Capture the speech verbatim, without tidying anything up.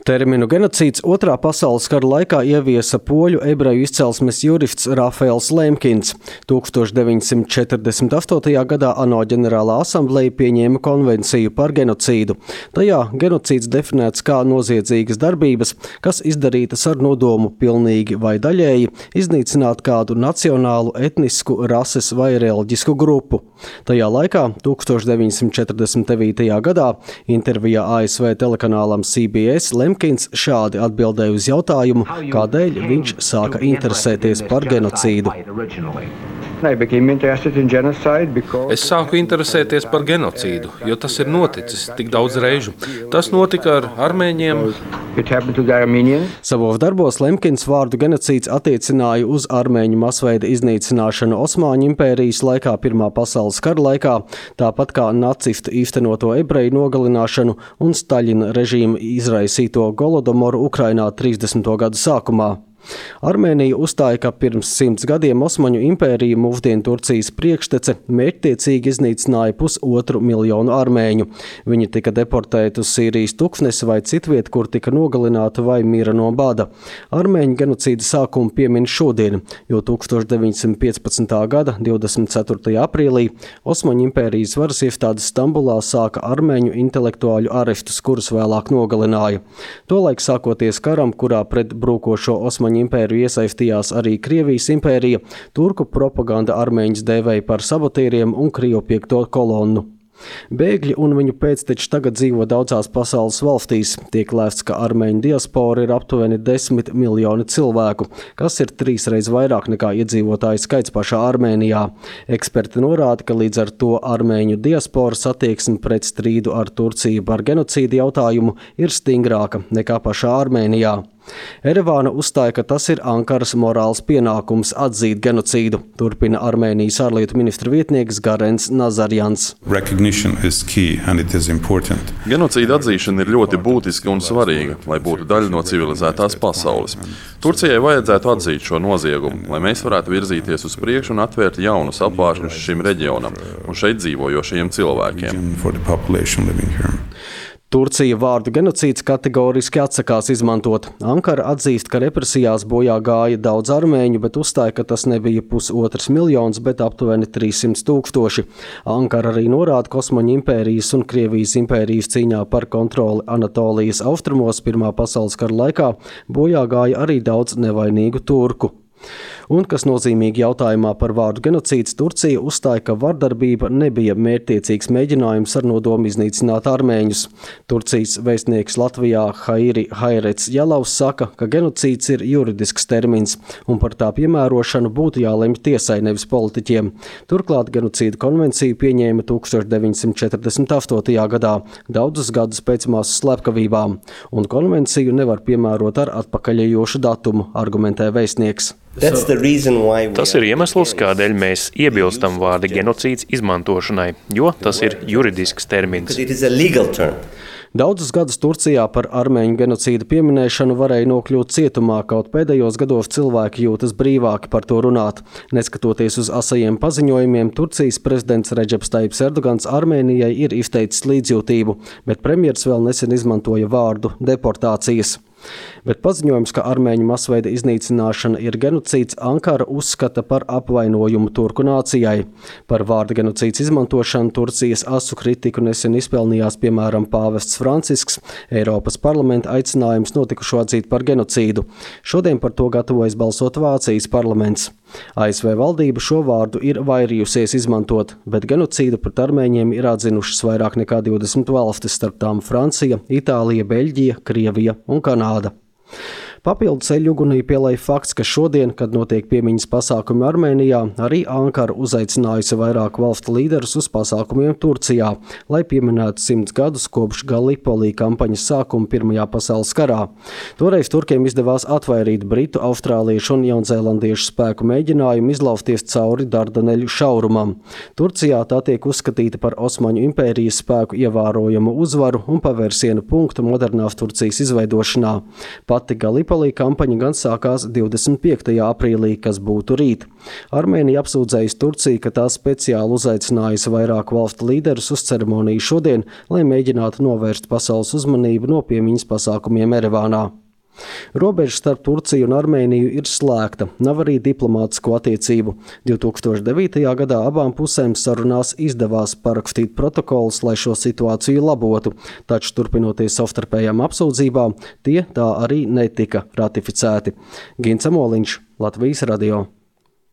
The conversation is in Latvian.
Terminu genocīds otrā pasaules kara laikā ieviesa poļu ebreju izcelsmes jurists Rafaels Lemkins. tūkstoš deviņsimt četrdesmit astotajā gadā ANO ģenerālā asambleja pieņēma konvenciju par genocīdu. Tajā genocīds definēts kā noziedzīgas darbības, kas izdarītas ar nodomu pilnīgi vai daļēji iznīcināt kādu nacionālu, etnisku, rases vai reliģisku grupu. Tajā laikā, tūkstoš deviņsimt četrdesmit devītajā gadā, intervijā A S V telekanālam C B S Lemkins šādi atbildēja uz jautājumu, kādēļ viņš sāka interesēties par genocīdu. Es sāku interesēties par genocīdu, jo tas ir noticis tik daudz reižu. Tas notika ar armēņiem. Savos darbos Lemkins vārdu genocīds attiecināja uz armēņu masveida iznīcināšanu Osmaņu impērijas laikā Pirmā pasaules kara laikā, tāpat kā nacistu īstenoto ebreju nogalināšanu un Staļina režīma izraisīto Golodomoru Ukrainā trīsdesmito gadu sākumā. Armēnija uzstāja, ka pirms simts gadiem Osmaņu impērija, mūsdienu Turcijas priekštece, mērķtiecīgi iznīcināja pusotru miljonu armēņu. Viņi tika deportēti uz Sīrijas tuksnesi vai citviet, kur tika nogalināti vai mira no bada. Armēņu genocīda sākumu piemin šodien, jo tūkstoš deviņsimt piecpadsmitā gada divdesmit ceturtajā aprīlī Osmaņu impērijas varas iestādes Stambulā sāka armēņu intelektuāļu arestus, kurus vēlāk nogalināja. Tolaik sākoties karam, kurā pret brūkošo Osmaņu impēriju iesaistījās arī Krievijas impērija, turku propaganda armēņus dēvēja par sabotieriem un Krievu piekto kolonnu. Bēgļi un viņu pēcteči tagad dzīvo daudzās pasaules valstīs. Tiek lēsts, ka armēņu diaspora ir aptuveni desmit miljoni cilvēku, kas ir trīsreiz vairāk nekā iedzīvotāju skaits pašā Armēnijā. Eksperti norāda, ka līdz ar to armēņu diasporas attieksme pret strīdu ar Turciju par genocīdu jautājumu ir stingrāka nekā pašā Armēnijā. Erevāna uzstāja, ka tas ir Ankaras morāls pienākums atzīt genocīdu, turpina Armēnijas ārlietu ministra vietnieks Garens Nazarjans. Genocīda atzīšana ir ļoti būtiska un svarīga, lai būtu daļa no civilizētās pasaules. Turcijai vajadzētu atzīt šo noziegumu, lai mēs varētu virzīties uz priekšu un atvērt jaunus apvāršņus šim reģionam un šeit dzīvojošajiem cilvēkiem. Turcija vārdu genocīds kategoriski atsakās izmantot. Ankara atzīst, ka represijās bojā gāja daudz armēņu, bet uzstāja, ka tas nebija pusotrs miljons, bet aptuveni trīssimti tūkstoši. Ankara arī norāda, ka Osmaņu impērijas un Krievijas impērijas cīņā par kontroli Anatolijas austrumos Pirmā pasaules kara laikā bojā gāja arī daudz nevainīgu turku. Un, kas nozīmīgi jautājumā par vārdu genocīds, Turcija uzstāja, ka vardarbība nebija mērķtiecīgs mēģinājums ar nodomu iznīcināt armēņus. Turcijas vēstnieks Latvijā Hairi Hairets Jalavs saka, ka genocīds ir juridisks termins, un par tā piemērošanu būtu jālemj tiesai, nevis politiķiem. Turklāt genocīda konvenciju pieņēma tūkstoš deviņsimt četrdesmit astotajā gadā, daudzus gadus pēc masu slepkavībām, un konvenciju nevar piemērot ar atpakaļejošu datumu, argumentē vēstnieks. Tas ir iemesls, kādēļ mēs iebilstam vārda genocīds izmantošanai, jo tas ir juridisks termins. Daudzus gadus Turcijā par armēņu genocīdu pieminēšanu varēja nokļūt cietumā, kaut pēdējos gados cilvēki jūtas brīvāki par to runāt. Neskatoties uz asajiem paziņojumiem, Turcijas prezidents Redžeps Tajibs Erdogans Armēnijai ir izteicis līdzjūtību, bet premjers vēl nesen izmantoja vārdu deportācijas. Bet paziņojums, ka armēņu masveida iznīcināšana ir genocīds, Ankara uzskata par apvainojumu turku nācijai. Par vārda genocīds izmantošanu Turcijas asu kritiku nesen izpelnījās piemēram pāvests Francisks, Eiropas parlamenta aicinājums notikušo atzīt par genocīdu. Šodien par to gatavojas balsot Vācijas parlaments. A S V valdība šo vārdu ir vairījusies izmantot, bet genocīdu pret armēņiem ir atzinušas vairāk nekā divdesmit valstis, starp tām Francija, Itālija, Beļģija, Krievija un Kanāda. Papildu ceļugunī pielēja fakts, ka šodien, kad notiek piemiņas pasākumi Armēnijā, arī Ankara uzaicinājusi vairāk valstu līderus uz pasākumiem Turcijā, lai pieminētu simts gadus kopš Gallipolī kampaņas sākuma Pirmajā pasaules karā. Toreiz turkiem izdevās atvairīt britu, austrāliešu un jaunzēlandiešu spēku mēģinājumu izlausties cauri Dardaneļu šaurumam. Turcijā tā tiek uzskatīta par Osmaņu impērijas spēku ievērojamu uzvaru un pavērsienu punktu modernās Turcijas izveidošanā. Pati Gallipolī Tripolī kampaņa gan sākās divdesmit piektajā aprīlī, kas būtu rīt. Armēnija apsūdzējusi Turciju, ka tā speciāli uzaicinājusi vairāku valstu līderus uz ceremoniju šodien, lai mēģinātu novērst pasaules uzmanību no piemiņas pasākumiem Erevānā. Robeža starp Turciju un Armēniju ir slēgta, nav arī diplomātisko attiecību. divi tūkstoši devītajā gadā abām pusēm sarunās izdevās parakstīt protokolus, lai šo situāciju labotu, taču turpinoties savstarpējām apsūdzībām, tie tā arī netika ratificēti. Gins Amoliņš, Latvijas radio.